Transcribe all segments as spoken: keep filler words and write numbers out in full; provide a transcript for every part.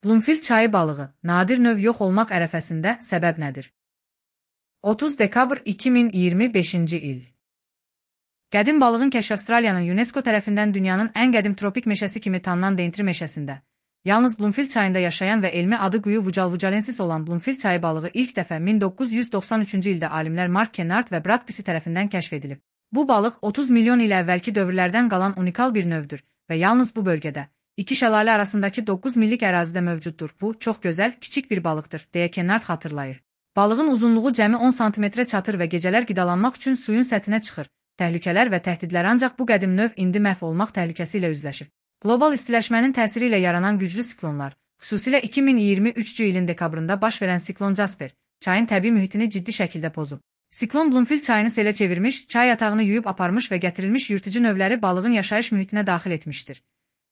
Bloomfield çayı balığı, nadir növ yox olmaq ərəfəsində, səbəb nədir? otuz dekabr iki min iyirmi beşinci il. Qədim balığın kəşfi Avstraliyanın UNESCO tərəfindən dünyanın ən qədim tropik meşəsi kimi tanınan Daintree meşəsində, yalnız Bloomfield çayında yaşayan və elmi adı Guyu vujalvujalensis olan Bloomfield çayı balığı ilk dəfə min doqquz yüz doxsan üçüncü ildə alimlər Mark Kennard və Brad Pusey tərəfindən kəşf edilib. Bu balıq otuz milyon il əvvəlki dövrlərdən qalan unikal bir növdür və yalnız bu bölgədə, iki şəlalə arasındakı doqquz millik ərazidə mövcuddur. Bu, çox gözəl, kiçik bir balıqdır, deyə Kennard xatırlayır. Balığın uzunluğu cəmi on santimetrə çatır və gecələr qidalanmaq üçün suyun səthinə çıxır. Təhlükələr və təhdidlər ancaq bu qədim növ indi məhv olmaq təhlükəsi ilə üzləşib. Qlobal istiləşmənin təsiri ilə yaranan güclü siklonlar, xüsusilə iki min iyirmi üçüncü ilin dekabrında baş verən siklon Jasper, çayın təbii mühitini ciddi şəkildə pozub. Siklon Bloomfield çayını selə çevirmiş, çay yatağını yuyub aparmış və gətirilmiş yırtıcı növləri balığın yaşayış mühitinə daxil etmişdir.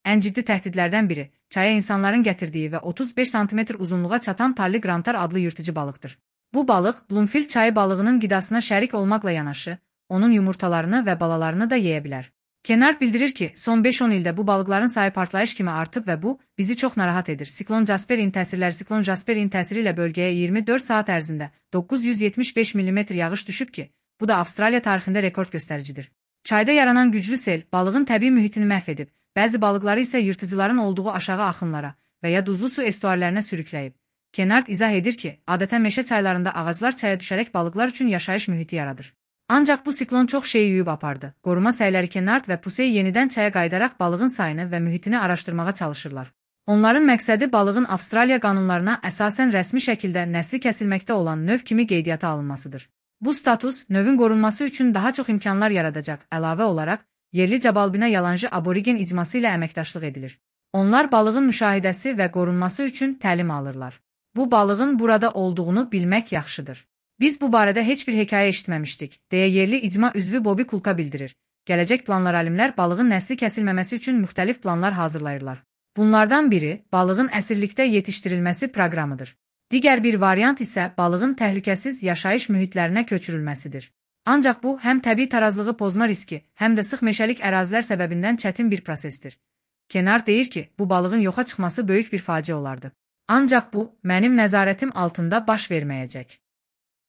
Ən ciddi təhdidlərdən biri, çaya insanların gətirdiyi və otuz beş santimetr uzunluğa çatan Talli Grantar adlı yırtıcı balıqdır. Bu balıq, Bloomfield çayı balığının qidasına şərik olmaqla yanaşı, onun yumurtalarını və balalarını da yeyə bilər. Kennard bildirir ki, son beş on ildə bu balıqların sayı partlayış kimi artıb və bu, bizi çox narahat edir. Siklon Jasper'in təsirləri Siklon Jasper'in təsiri ilə bölgəyə iyirmi dörd saat ərzində doqquz yüz yetmiş beş millimetr yağış düşüb ki, bu da Avstraliya tarixində rekord göstəricidir. Çayda yaranan güclü sel, balığın təbii mühitini məhv edib, bəzi balıqları isə yırtıcıların olduğu aşağı axınlara və ya duzlu su estuarlarına sürükləyib. Kennard izah edir ki, adətən meşə çaylarında ağaclar çaya düşərək balıqlar üçün yaşayış mühiti yaradır. Ancaq bu siklon çox şeyi yuyub apardı. Qoruma səyləri Kennard və Pusey yenidən çaya qayıdaraq balığın sayını və mühitini araşdırmağa çalışırlar. Onların məqsədi balığın Avstraliya qanunlarına əsasən rəsmi şəkildə nəsli kəsilməkdə olan növ kimi qeydiyyata alınmasıdır. Bu status, növün qorunması üçün daha çox imkanlar yaradacaq. Əlavə olaraq, yerli Cabalbina Yalanjı aborigen icması ilə əməkdaşlıq edilir. Onlar balığın müşahidəsi və qorunması üçün təlim alırlar. Bu balığın burada olduğunu bilmək yaxşıdır. Biz bu barədə heç bir hekayə eşitməmişdik, deyə yerli icma üzvü Bobby Kulka bildirir. Gələcək planlar alimlər balığın nəsli kəsilməməsi üçün müxtəlif planlar hazırlayırlar. Bunlardan biri, balığın əsirlikdə yetişdirilməsi proqramıdır. Digər bir variant isə balığın təhlükəsiz yaşayış mühitlərinə köçürülməsidir. Ancaq bu, həm təbii tarazlığı pozma riski, həm də sıx meşəlik ərazilər səbəbindən çətin bir prosesdir. Kennard deyir ki, bu balığın yoxa çıxması böyük bir faciə olardı. Ancaq bu, mənim nəzarətim altında baş verməyəcək.